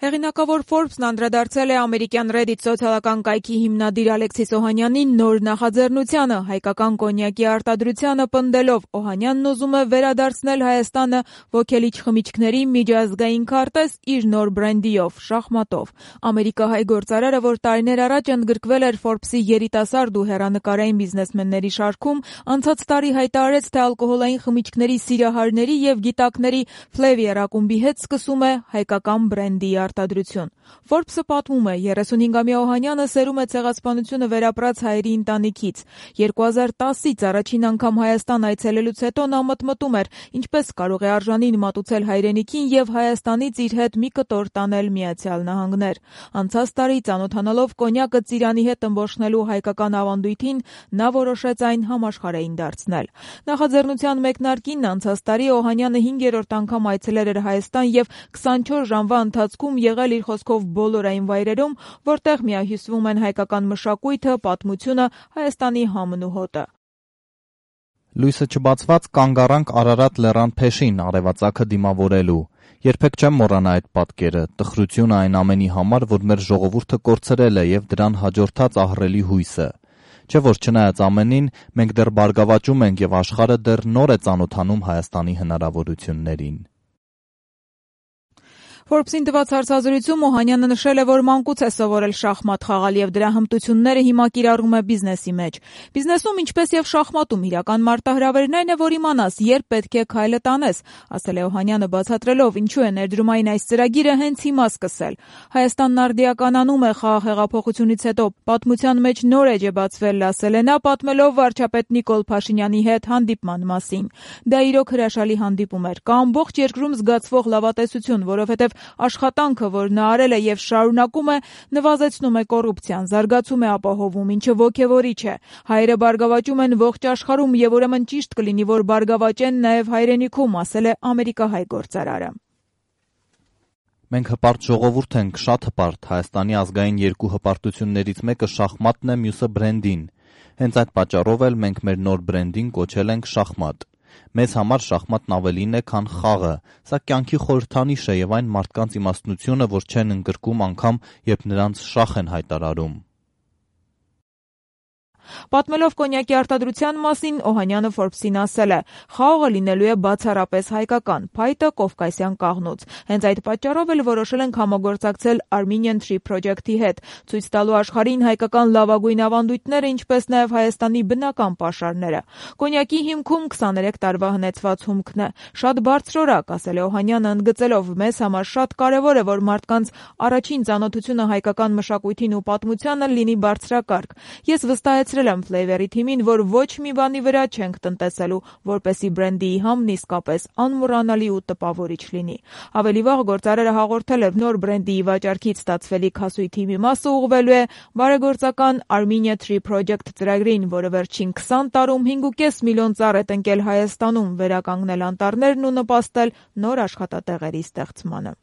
Հեղինակավոր Forbes-ն անդրադարձել է ամերիկյան Reddit սոցիալական կայքի հիմնադիր Ալեքսիս Օհանյանի նոր նախաձեռնությանը՝ հայկական կոնյակի արտադրությանը պնդելով, Օհանյանն ուզում է վերադարձնել Հայաստանը ոգելիչ խմիչքների միջազգային քարտեզ իր նոր բրենդիով՝ շախմատով։ Ամերիկահայ գործարարը, որ տարիներ առաջ ընդգրկվել էր Forbes-ի երիտասարդ ու հեռանկարային բիզնեսմենների շարքում, անցած տարի հայտարարեց, թե ալկոհոլային խմիչքների սիրահարների եւ գիտակների Flavier ակումբի հետ սկսում է հայկական բրենդի արտադրություն։ Forbes-ը պատմում է, 35-ամյա Օհանյանը սերում է ցեղասպանությունը վերապրած հայերի ընտանիքից։ 2010-ից առաջին անգամ Հայաստան այցելելուց հետո նա մտմտում էր, ինչպես կարող է արժանին մատուցել հայրենիքին եւ Հայաստանից իր հետ մի կտոր տանել Միացյալ Նահանգներ։ Անցած տարի ծանոթանալով կոնյակը ծիրանի հետ ըմբոշխնելու հայկական ավանդույթին, նա որոշեց այն համաշխարհային դարձնել։ Նախաձեռնության մեկնարկին անցած տարի Օհանյանը 5-րդ անգամ այցելել էր Հայաստան եւ 24 ժամվա ընթացքում եղել իր խոսքով բոլոր այն վայրերում, որտեղ միահյուսվում են հայկական մշակույթը, պատմությունը, Հայաստանի համն ու հոտը։ Լույսը չբացված կանգ առանք Արարատ լեռան փեշին արևածագը դիմավորելու։ Երբեք չեմ մոռանա այդ պատկերը, տխրությունը այն ամենի համար, որ մեր ժողովուրդը կորցրել է եւ դրան հաջորդած ահռելի հույսը։ Չէ՞ որ չնայած ամենին, մենք դեռ բարգավաճում ենք եւ աշխարհը դեռ նոր է ծանոթանում Հայաստանի հնարավորություններին։ Forbes-ին տված հարցազրույցում Օհանյանը նշել է, որ մանկուց է սովորել շախմատ խաղալ եւ դրա հմտությունները հիմա կիրառում է բիզնեսի մեջ։ Բիզնեսում, ինչպես եւ շախմատում, իրական մարտահրավերն այն է, որ իմանաս, երբ պետք է քայլը տանես, ասել է Օհանյանը, բացատրելով, ինչու է ներդրումային այս ծրագիրը հենց հիմա սկսել։ Հայաստանն արդիականանում է խաղաղ հեղափոխությունից հետո, պատմության մեջ նոր էջ է բացվել, ասել է նա, պատմելով վարչապետ Նիկոլ Փաշինյանի հետ հանդիպման մասին։ Դա իրոք հրաշալի հանդիպում էր։ Կա ամբողջ երկրում զգացվող լավատեսություն, որովհետեւ աշխատանքը, որ նա արել է եւ շարունակում է, նվազեցնում է կոռուպցիան, զարգացում է ապահովում, ինչը ոգևորիչ է։ Հայերը բարգավաճում են ողջ աշխարհում եւ ուրեմն ճիշտ կլինի, որ բարգավաճեն նաեւ հայրենիքում, ասել է ամերիկահայ գործարարը։ Մենք հպարտ ժողովուրդ ենք, շատ հպարտ։ Հայաստանի ազգային երկու հպարտություններից մեկը շախմատն է, մյուսը բրենդին։ Հենց այդ պատճառով էլ մենք մեր նոր բրենդին կոչել ենք շախմատ։ Մեզ համար շախմատն ավելին է, քան խաղը։ Սա կյանքի խորհրդանիշ է եւ այն մարդկանց իմաստնությունը, որ չեն ընդգրկում անգամ, երբ նրանց շախ են հայտարարում։ Պատմելով կոնյակի արտադրության մասին, Օհանյանը Forbes-ին ասել է. «Խաղողը լինելու է բացառապես հայկական, փայտը կովկասյան կաղնուց։ Հենց այդ պատճառով էլ որոշել ենք համագործակցել Armenian Tree Project-ի հետ, ցույց տալու աշխարհին հայկական լավագույն ավանդույթները, ինչպես նաեւ Հայաստանի բնական պաշարները։ Կոնյակի հիմքում 23 տարվա հնեցված հումքն է։ Շատ բարձրորակ», ասել է Օհանյանը, ընդգծելով. «Մեզ համար շատ կարեւոր է, որ մարդկանց առաջին ծանոթությունը հայկական մշակույթին ու պատմությանը լինի բարձրակարգ։ Ես վստահեցրել եմ Flavier-ի թիմին, որ ոչ մի բանի վրա չենք տնտեսելու, որպեսզի բրենդի համն իսկապես անմոռանալի ու տպավորիչ լինի»։ Ավելի վաղ գործարարը հաղորդել էր, նոր բրենդի վաճառքից ստացվելիք հասույթի մի մասը ուղղվելու է բարեգործական Armenian Tree Project ծրագրին, որը վերջին 20 տարում 5.5 միլիոն ծառ է տնկել Հայաստանում, վերականգնել անտառներն ու նպաստել նոր աշխատատեղերի ստեղծմանը։